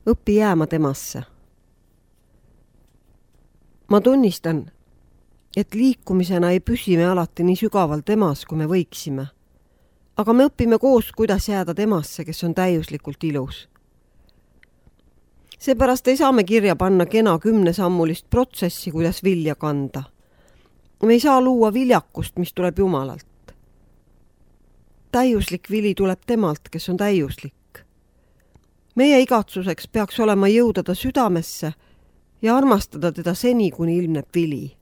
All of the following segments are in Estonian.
õpi jääma temasse. Ma tunnistan, et liikumisena ei püsi me alati nii sügaval temas, kui me võiksime. Aga me õpime koos, kuidas jääda temasse, kes on täiuslikult ilus. Seepärast ei saa me kirja panna kena 10-sammulist protsessi, kuidas vilja kanda. Me ei saa luua viljakust, mis tuleb Jumalalt. Täiuslik vili tuleb temalt, kes on täiuslik. Meie igatsuseks peaks olema jõuda ta südamesse ja armastada teda seni, kuni ilmneb vili.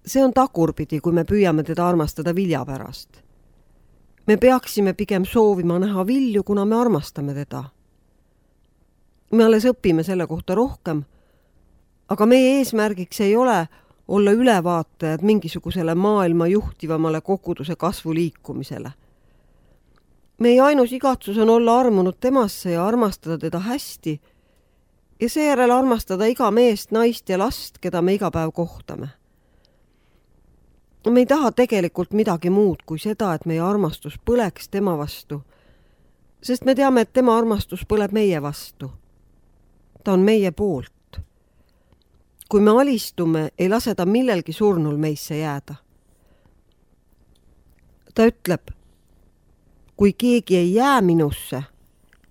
See on tagurpidi, kui me püüame teda armastada vilja pärast. Me peaksime pigem soovima näha vilju, kuna me armastame teda. Me alles õpime selle kohta rohkem, aga meie eesmärgiks ei ole olla ülevaatajad mingisugusele maailma juhtivamale koguduse kasvu liikumisele. Meie ainus igatsus on olla armunud temasse ja armastada teda hästi ja seejärel armastada iga meest, naist ja last, keda me iga päev kohtame. Me ei taha tegelikult midagi muud kui seda, et meie armastus põleks tema vastu, sest me teame, et tema armastus põleb meie vastu. Ta on meie poolt. Kui me alistume, ei lase ta millelgi surnul meisse jääda. Ta ütleb, kui keegi ei jää minusse,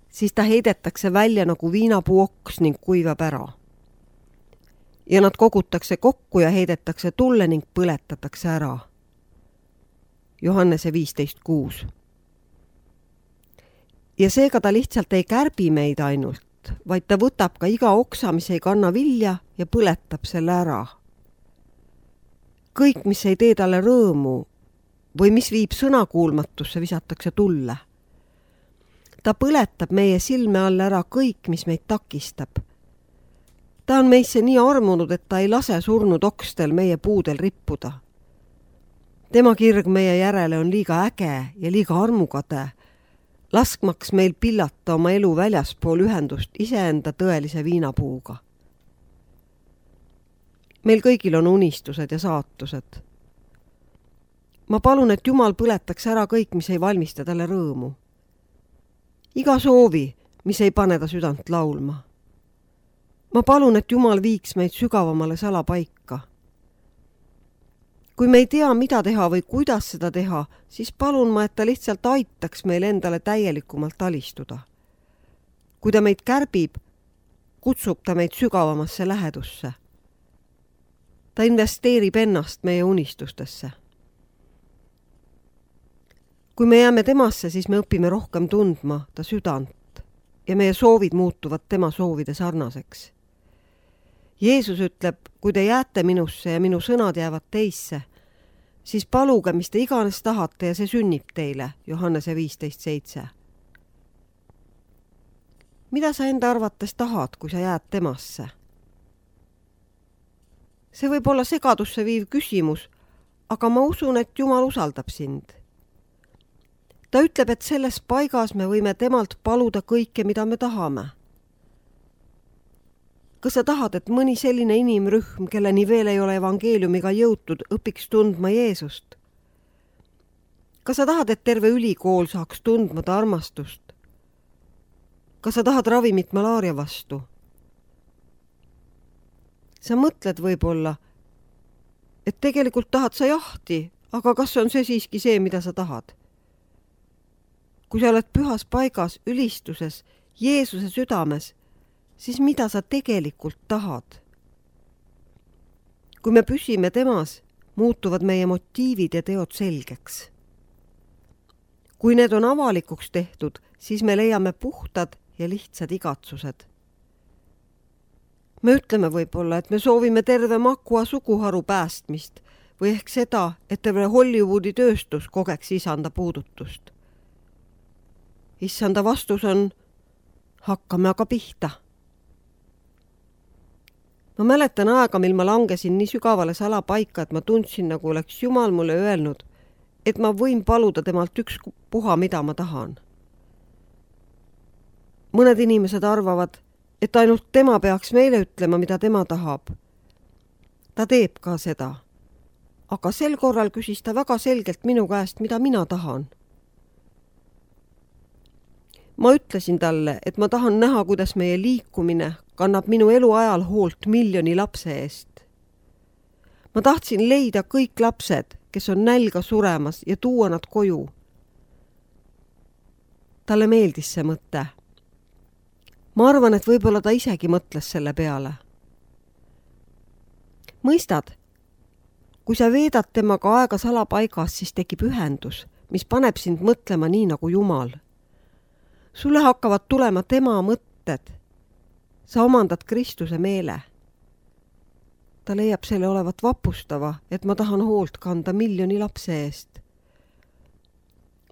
siis ta heidetakse välja nagu viinapuu oks ning kuivab ära. Ja nad kogutakse kokku ja heidetakse tulle ning põletatakse ära. Johannese 15:6. Ja seega ta lihtsalt ei kärbi meid ainult, vaid ta võtab ka iga oksa, mis ei kanna vilja ja põletab selle ära. Kõik, mis ei tee talle rõõmu või mis viib sõnakuulmatusse, visatakse tulle. Ta põletab meie silme all ära kõik, mis meid takistab. Ta on meisse nii armunud, et ta ei lase surnud okstel meie puudel rippuda. Tema kirg meie järele on liiga äge ja liiga armukade, laskmaks meil pillata oma elu väljaspool ühendust iseenda tõelise viinapuuga. Meil kõigil on unistused ja saatused. Ma palun, et Jumal põletaks ära kõik, mis ei valmista talle rõõmu. Iga soovi, mis ei pane ta südant laulma. Ma palun, et Jumal viiks meid sügavamale salapaika. Kui me ei tea, mida teha või kuidas seda teha, siis palun ma, et ta lihtsalt aitaks meil endale täielikumalt alistuda. Kui ta meid kärbib, kutsub ta meid sügavamasse lähedusse. Ta investeerib ennast meie unistustesse. Kui me jääme temasse, siis me õpime rohkem tundma ta südant ja meie soovid muutuvad tema soovide sarnaseks. Jeesus ütleb, kui te jääte minusse ja minu sõnad jäävad teisse, siis paluge, mis te iganes tahate ja see sünnib teile, Johannese 15:7. Mida sa enda arvates tahad, kui sa jääd temasse? See võib olla segadusse viiv küsimus, aga ma usun, et Jumal usaldab sind. Ta ütleb, et selles paigas me võime temalt paluda kõike, mida me tahame. Kas sa tahad, et mõni selline inimrühm, kelleni veel ei ole evangeeliumiga jõutud, õpiks tundma Jeesust? Kas sa tahad, et terve ülikool saaks tundma ta armastust? Kas sa tahad ravimit malaaria vastu? Sa mõtled võib-olla, et tegelikult tahad sa jahti, aga kas on see siiski see, mida sa tahad? Kui sa oled pühas paigas, ülistuses, Jeesuse südames, siis mida sa tegelikult tahad? Kui me püsime temas, muutuvad meie motiivid ja teod selgeks. Kui need on avalikuks tehtud, siis me leiame puhtad ja lihtsad igatsused. Me ütleme võib-olla, et me soovime terve Makua suguharu päästmist või ehk seda, et terve Hollywoodi tööstus kogeks isanda puudutust. Issanda vastus on, hakkame aga pihta. Ma mäletan aega, mil ma langesin nii sügavale salapaika, et ma tundsin, nagu oleks Jumal mulle öelnud, et ma võin paluda temalt ükspuha, mida ma tahan. Mõned inimesed arvavad, et ainult tema peaks meile ütlema, mida tema tahab. Ta teeb ka seda. Aga sel korral küsis ta väga selgelt minu käest, mida mina tahan. Ma ütlesin talle, et ma tahan näha, kuidas meie liikumine kannab minu eluajal hoolt 1 000 000 lapse eest. Ma tahtsin leida kõik lapsed, kes on nälga suremas ja tuua nad koju. Talle meeldis see mõte. Ma arvan, et võib-olla ta isegi mõtles selle peale. Mõistad, kui sa veedad temaga aega salapaigas, siis tekib ühendus, mis paneb sind mõtlema nii nagu Jumal. Sulle hakkavad tulema tema mõtted. Sa omandad Kristuse meele. Ta leiab selle olevat vapustava, et ma tahan hoolt kanda 1 000 000 lapse eest.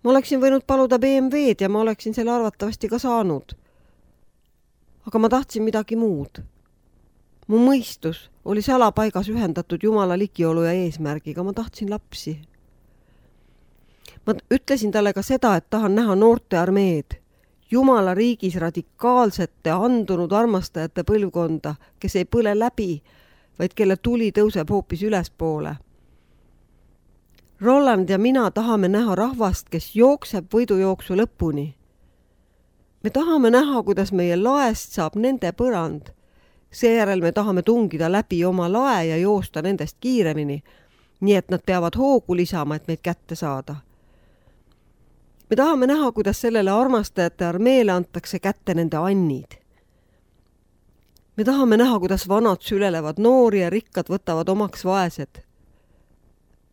Ma oleksin võinud paluda BMW-d ja ma oleksin selle arvatavasti ka saanud. Aga ma tahtsin midagi muud. Mu mõistus oli salapaigas ühendatud Jumala ligiolu ja eesmärgiga. Ma tahtsin lapsi. Ma ütlesin talle ka seda, et tahan näha noorte armeed, Jumala riigis radikaalsete andunud armastajate põlvkonda, kes ei põle läbi, vaid kelle tuli tõuseb hoopis ülespoole. Roland ja mina tahame näha rahvast, kes jookseb võidujooksu lõpuni. Me tahame näha, kuidas meie laest saab nende põrand. Seejärel me tahame tungida läbi oma lae ja joosta nendest kiiremini, nii et nad peavad hoogu lisama, et meid kätte saada. Me tahame näha, kuidas sellele armastajate armeele antakse kätte nende annid. Me tahame näha, kuidas vanad sülelevad noori ja rikkad võtavad omaks vaesed.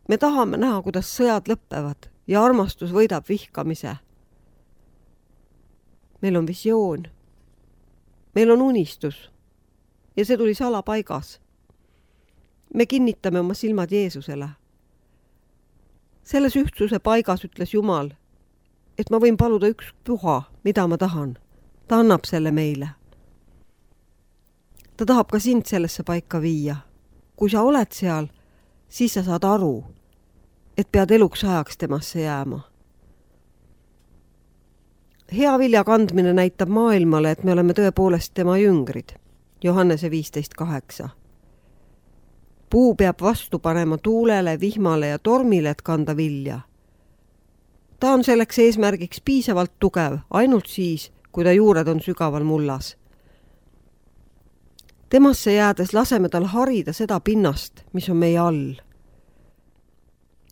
Me tahame näha, kuidas sõjad lõppevad ja armastus võidab vihkamise. Meil on visioon. Meil on unistus. Ja see tuli salapaigas. Me kinnitame oma silmad Jeesusele. Selles ühtsuse paigas ütles Jumal, et ma võin paluda üks püha, mida ma tahan. Ta annab selle meile. Ta tahab ka sind sellesse paika viia. Kui sa oled seal, siis sa saad aru, et pead eluks ajaks temasse jääma. Hea vilja kandmine näitab maailmale, et me oleme tõepoolest tema jüngrid. Johannese 15:8. Puu peab vastu panema tuulele, vihmale ja tormile, et kanda vilja. Ta on selleks eesmärgiks piisavalt tugev, ainult siis, kui ta juured on sügaval mullas. Temasse jäädes laseme tal harida seda pinnast, mis on meie all.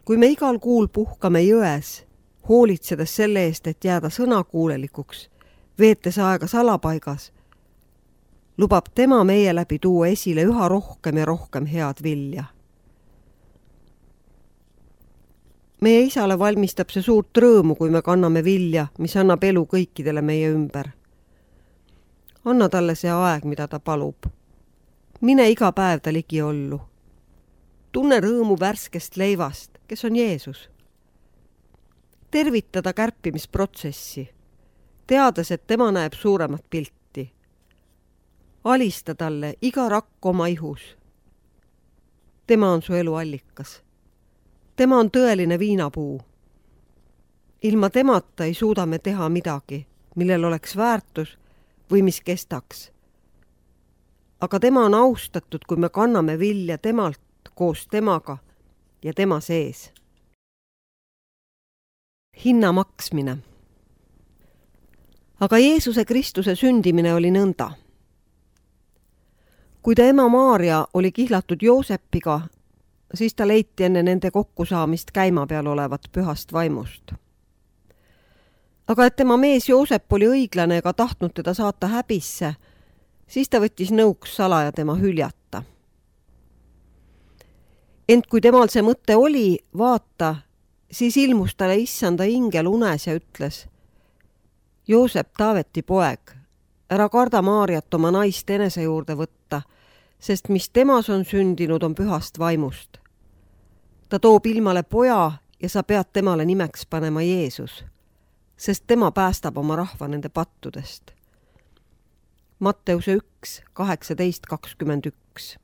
Kui me igal kuul puhkame jões, hoolitsedes selle eest, et jääda sõnakuulelikuks, veetes aega salapaigas, lubab tema meie läbi tuua esile üha rohkem ja rohkem head vilja. Meie isale valmistab see suurt rõõmu, kui me kanname vilja, mis annab elu kõikidele meie ümber. Anna talle see aeg, mida ta palub. Mine iga päev ta ligi ollu. Tunne rõõmu värskest leivast, kes on Jeesus. Tervitada kärpimisprotsessi, teades, et tema näeb suuremat pilti. Alista talle iga rakk oma ihus. Tema on su elu allikas. Tema on tõeline viinapuu. Ilma temata ei suuda me teha midagi, millel oleks väärtus või mis kestaks. Aga tema on austatud, kui me kanname vilja temalt koos temaga ja tema sees. Hinna maksmine. Aga Jeesuse Kristuse sündimine oli nõnda. Kui ta ema Maarja oli kihlatud Joosepiga, siis ta leiti enne nende kokkusaamist käima peal olevat pühast vaimust. Aga et tema mees Joosep oli õiglane ega tahtnud teda saata häbisse, siis ta võttis nõuks salaja tema hüljata. Ent kui temal see mõte oli, vaata, siis ilmus talle issanda ingel unes ja ütles: Joosep, Taaveti poeg, ära karda Maarjat oma naist enese juurde võtta, sest mis temas on sündinud, on pühast vaimust. Ta toob ilmale poja ja sa pead temale nimeks panema Jeesus, sest tema päästab oma rahva nende pattudest. Matteuse 1, 18-21.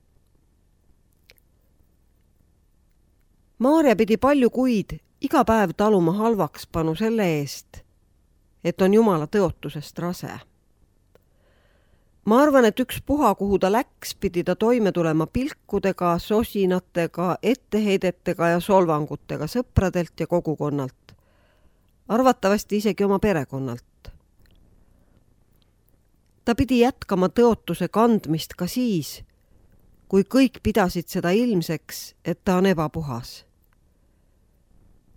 Maarja pidi palju kuid iga päev taluma halvakspanu selle eest, et on Jumala tõotusest rase. Ma arvan, et üks puha, kuhu ta läks, pidi ta toime tulema pilkudega, sosinatega, etteheidetega ja solvangutega sõpradelt ja kogukonnalt. Arvatavasti isegi oma perekonnalt. Ta pidi jätkama tõotuse kandmist ka siis, kui kõik pidasid seda ilmseks, et ta on ebapuhas.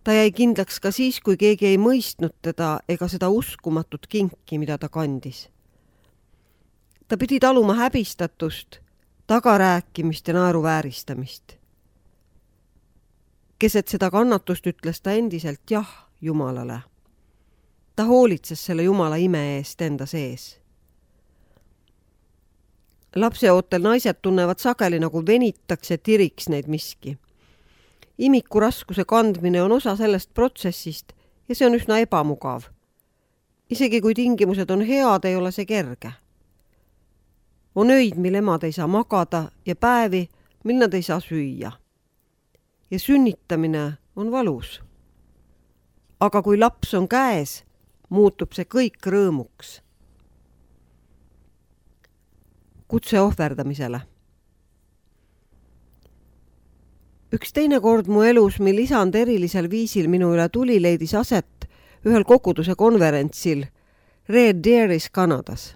Ta jäi kindlaks ka siis, kui keegi ei mõistnud teda ega seda uskumatut kinki, mida ta kandis. Ta pidi taluma häbistatust, tagarääkimist ja naeruvääristamist. Keset seda kannatust ütles ta endiselt jah Jumalale. Ta hoolitses selle Jumala ime eest enda sees. Lapseootel naised tunnevad sageli nagu venitaks ja tiriks neid miski. Imiku raskuse kandmine on osa sellest protsessist ja see on üsna ebamugav. Isegi kui tingimused on head, ei ole see kerge. On öid, mil emad ei saa magada ja päevi, mil nad ei saa süüa. Ja sünnitamine on valus. Aga kui laps on käes, muutub see kõik rõõmuks. Kutse ohverdamisele. Üks teine kord mu elus, mil isand erilisel viisil minu üle tuli, leidis aset ühel koguduse konverentsil Red Deeris Kanadas.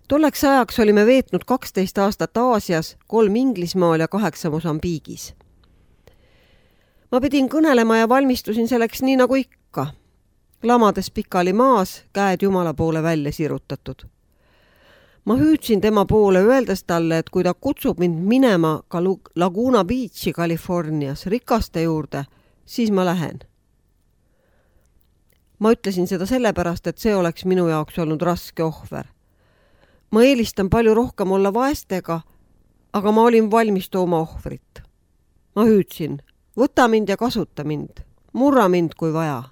Tolleks ajaks olime veetnud 12 aastat Aasias, 3 Inglismaal ja 8 Mosambiigis. Ma pidin kõnelema ja valmistusin selleks nii nagu ikka. Lamades pikali maas, käed Jumala poole välja sirutatud. Ma hüüdsin tema poole öeldes talle, et kui ta kutsub mind minema ka Laguna Beachi Californias rikaste juurde, siis ma lähen. Ma ütlesin seda sellepärast, et see oleks minu jaoks olnud raske ohver. Ma eelistan palju rohkem olla vaestega, aga ma olin valmis tooma ohvrit. Ma hüüdsin, võta mind ja kasuta mind, murra mind kui vaja.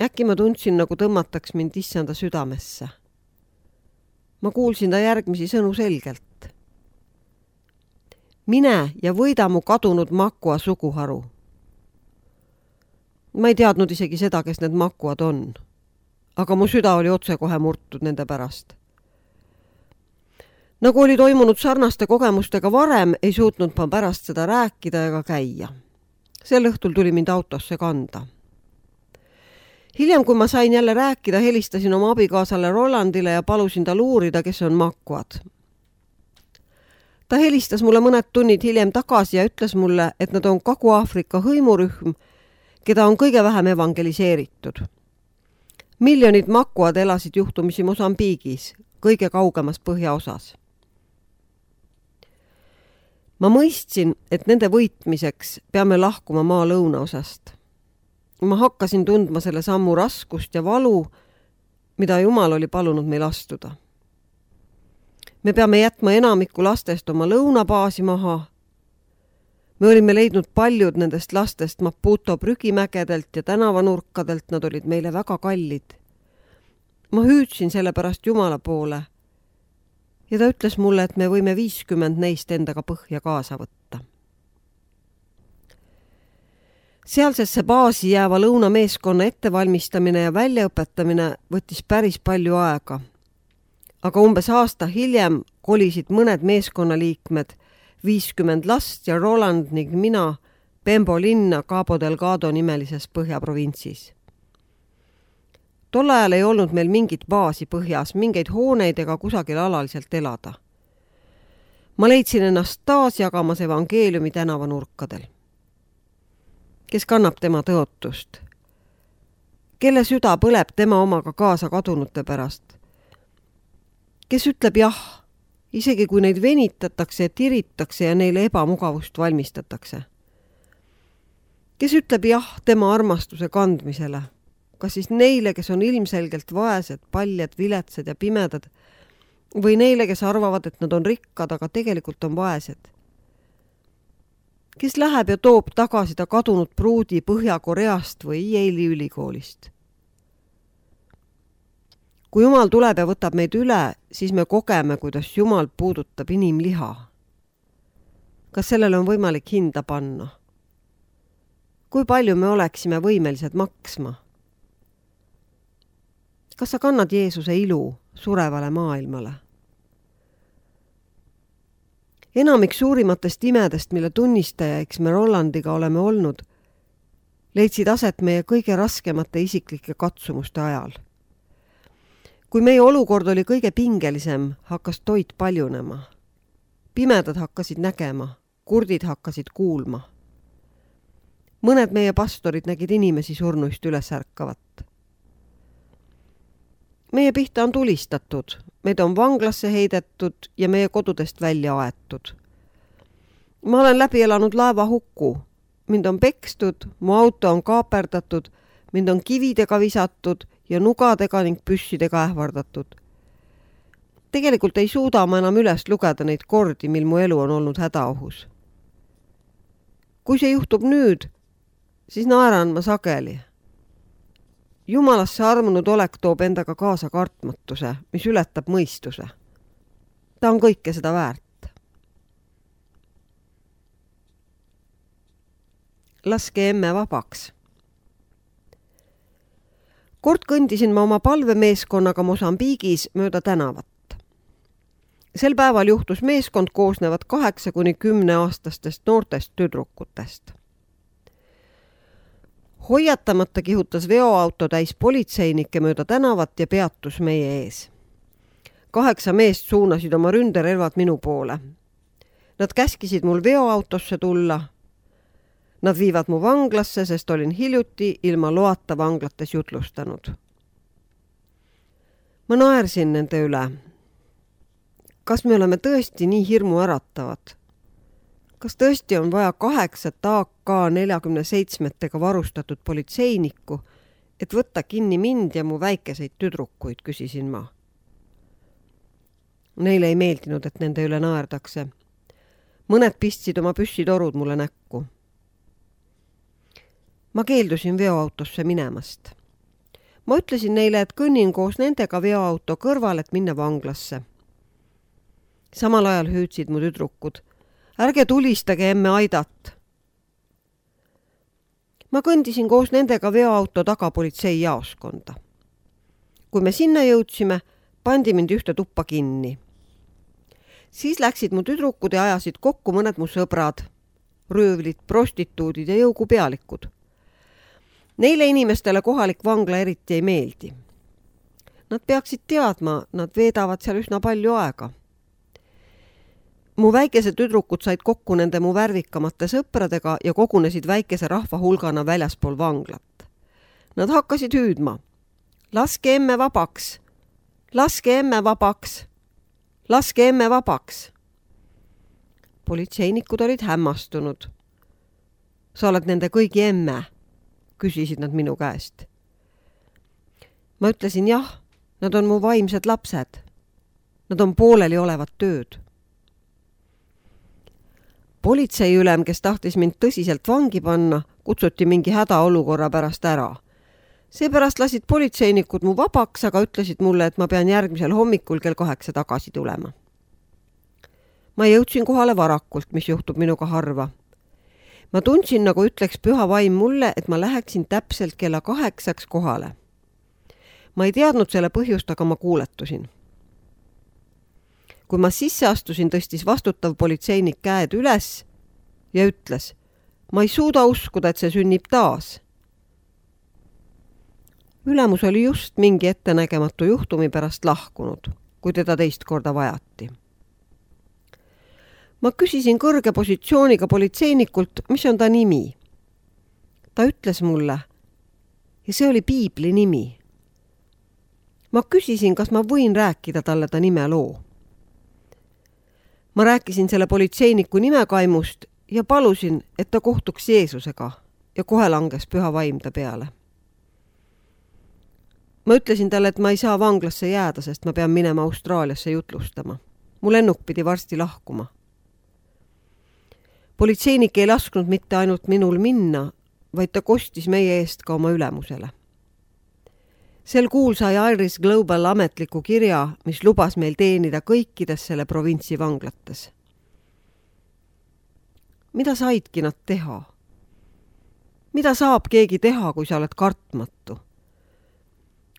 Äkki ma tundsin, nagu tõmmataks mind issanda südamesse. Ma kuulsin ta järgmisi sõnu selgelt. Mine ja võida mu kadunud Makua suguharu. Ma ei teadnud isegi seda, kes need Makuad on, aga mu süda oli otsekohe murtud nende pärast. Nagu oli toimunud sarnaste kogemustega varem, ei suutnud ma pärast seda rääkida ega käia. Sel õhtul tuli mind autosse kanda. Hiljem, kui ma sain jälle rääkida, helistasin oma abikaasale Rolandile ja palusin tal uurida, kes on Makuad. Ta helistas mulle mõned tunnid hiljem tagasi ja ütles mulle, et nad on Kagu-Aafrika hõimurühm, keda on kõige vähem evangeliseeritud. Miljonid Makuad elasid juhtumisi Mosambiigis, kõige kaugemas põhjaosas. Ma mõistsin, et nende võitmiseks peame lahkuma maa lõunaosast. Ma hakkasin tundma selle sammu raskust ja valu, mida Jumal oli palunud meil astuda. Me peame jätma enamiku lastest oma lõunabaasi maha. Me olime leidnud paljud nendest lastest Maputo prügimägedelt ja tänavanurkadelt, nad olid meile väga kallid. Ma hüüdsin selle pärast Jumala poole ja ta ütles mulle, et me võime 50 neist endaga põhja kaasa võtta. Sealsesse baasi jääva lõunameeskonna ettevalmistamine ja väljaõpetamine võttis päris palju aega. Aga umbes aasta hiljem kolisid mõned meeskonnaliikmed, 50 last ja Roland ning mina Pembo linna Cabo Delgado nimelises põhjaprovintsis. Tol ajal ei olnud meil mingit baasi põhjas, mingeid hooneid ega kusagil alaliselt elada. Ma leidsin ennast taas jagamas evangeeliumi tänavanurkadel. Kes kannab tema tõotust? Kelle süda põleb tema omaga kaasa kadunute pärast? Kes ütleb jah, isegi kui neid venitatakse, tiritakse ja neile ebamugavust valmistatakse? Kes ütleb jah tema armastuse kandmisele? Kas siis neile, kes on ilmselgelt vaesed, paljad, viletsad ja pimedad, või neile, kes arvavad, et nad on rikkad, aga tegelikult on vaesed? Kes läheb ja toob tagasi ta kadunud pruudi Põhja-Koreast või Yale'i ülikoolist? Kui Jumal tuleb ja võtab meid üle, siis me kogeme, kuidas Jumal puudutab inimliha. Kas sellele on võimalik hinda panna? Kui palju me oleksime võimelised maksma? Kas sa kannad Jeesuse ilu surevale maailmale? Enamik suurimatest imedest, mille tunnistajaiks me Rolandiga oleme olnud, leidsid aset meie kõige raskemate isiklike katsumuste ajal. kui meie olukord oli kõige pingelisem, hakkas toit paljunema. Pimedad hakkasid nägema, kurdid hakkasid kuulma. Mõned meie pastorid nägid inimesi surnuist üles ärkavat. Meie pihta on tulistatud, meid on vanglasse heidetud ja meie kodudest välja aetud. Ma olen läbi elanud laeva hukku. Mind on pekstud, mu auto on kaaperdatud, mind on kividega visatud ja nugadega ning püssidega ähvardatud. Tegelikult ei suuda ma enam üles lugeda neid kordi, mil mu elu on olnud hädaohus. Kui see juhtub nüüd, siis naeran ma sageli. Jumalasse armunud olek toob endaga kaasa kartmatuse, mis ületab mõistuse. Ta on kõike seda väärt. Laske emme vabaks. Kord kõndisin ma oma palvemeeskonnaga Mosambiigis mööda tänavat. Sel päeval juhtus meeskond koosnevad 8–10 aastastest noortest tüdrukutest. Hoiatamata kihutas veoauto täis politseinikke mööda tänavat ja peatus meie ees. 8 meest suunasid oma ründerelvad minu poole. Nad käskisid mul veoautosse tulla. Nad viivad mu vanglasse, sest olin hiljuti ilma loata vanglates jutlustanud. Ma naersin nende üle. Kas me oleme tõesti nii hirmu äratavad? Kas tõesti on vaja 8 AK-47-tega varustatud politseinikku, et võtta kinni mind ja mu väikeseid tüdrukuid, küsisin ma. Neile ei meeldinud, et nende üle naerdakse. Mõned pistsid oma püssitorud mulle näkku. Ma keeldusin veoautosse minemast. Ma ütlesin neile, et kõnnin koos nendega veoauto kõrval, et minna vanglasse. Samal ajal hüüdsid mu tüdrukud. Ärge tulistage emme Aidat. Ma kõndisin koos nendega veoauto taga politsei jaoskonda. Kui me sinna jõudsime, pandi mind ühte tuppa kinni. Siis läksid mu tüdrukud ja ajasid kokku mõned mu sõbrad, röövlid, prostituudid ja jõugupealikud. Neile inimestele kohalik vangla eriti ei meeldi. Nad peaksid teadma, nad veedavad seal üsna palju aega. Mu väikesed tüdrukud said kokku nende mu värvikamate sõpradega ja kogunesid väikese rahva hulgana väljaspool vanglat. Nad hakkasid hüüdma. Laske emme vabaks! Laske emme vabaks! Laske emme vabaks! Politseinikud olid hämmastunud. Sa oled nende kõigi emme, küsisid nad minu käest. Ma ütlesin jah, nad on mu vaimsed lapsed. Nad on pooleli olevad tööd. Politseiülem, kes tahtis mind tõsiselt vangi panna, kutsuti mingi hädaolukorra pärast ära. Seepärast lasid politseinikud mu vabaks, aga ütlesid mulle, et ma pean järgmisel hommikul kell 8 tagasi tulema. Ma jõudsin kohale varakult, mis juhtub minuga harva. Ma tundsin, nagu ütleks püha vaim mulle, et ma läheksin täpselt kella 8 kohale. Ma ei teadnud selle põhjust, aga ma kuuletusin. Kui ma sisse astusin, tõstis vastutav politseinik käed üles ja ütles, ma ei suuda uskuda, et see sünnib taas. Ülemus oli just mingi ettenägematu juhtumi pärast lahkunud, kui teda teist korda vajati. Ma küsisin kõrge positsiooniga politseinikult, mis on ta nimi. Ta ütles mulle, ja see oli piibli nimi. Ma küsisin, kas ma võin rääkida talle ta nime loo. Ma rääkisin selle politseiniku nimekaimust ja palusin, et ta kohtuks Jeesusega ja kohe langes püha vaim ta peale. Ma ütlesin talle, et ma ei saa vanglasse jääda, sest ma pean minema Austraaliasse jutlustama. Mu lennuk pidi varsti lahkuma. Politseinik ei lasknud mitte ainult minul minna, vaid ta kostis meie eest ka oma ülemusele. Sel kuul sai Iris Global ametliku kirja, mis lubas meil teenida kõikides selle provintsi vanglates. Mida saidki nad teha? Mida saab keegi teha, kui sa oled kartmatu?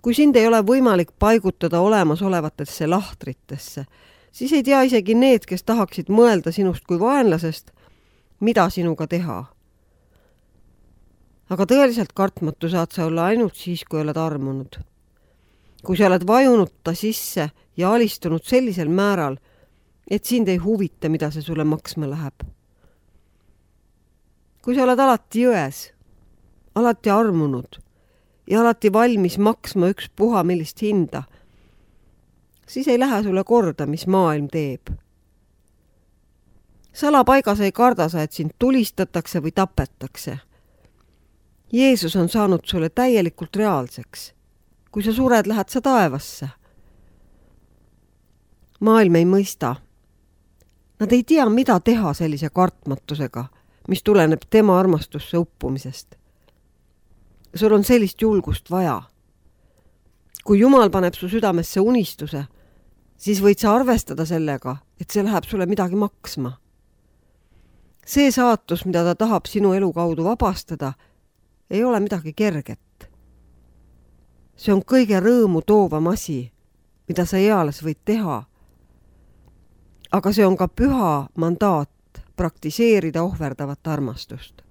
Kui sind ei ole võimalik paigutada olemasolevatesse lahtritesse, siis ei tea isegi need, kes tahaksid mõelda sinust kui vaenlasest, mida sinuga teha. Aga tõeliselt kartmatu saad sa olla ainult siis, kui oled armunud. kui sa oled vajunud ta sisse ja alistunud sellisel määral, et sind ei huvita, mida see sulle maksma läheb. Kui sa oled alati jões, alati armunud ja alati valmis maksma ükspuha millist hinda, siis ei lähe sulle korda, mis maailm teeb. Salapaigas ei karda sa, et sind tulistatakse või tapetakse. Jeesus on saanud sulle täielikult reaalseks. Kui sa sured, lähed sa taevasse. Maailm ei mõista. Nad ei tea, mida teha sellise kartmatusega, mis tuleneb tema armastusse uppumisest. Sul on sellist julgust vaja. Kui Jumal paneb su südamesse unistuse, siis võid sa arvestada sellega, et see läheb sulle midagi maksma. See saatus, mida ta tahab sinu elu kaudu vabastada, ei ole midagi kerget. See on kõige rõõmu toovam asi, mida sa eales võid teha. Aga see on ka püha mandaat praktiseerida ohverdavat armastust.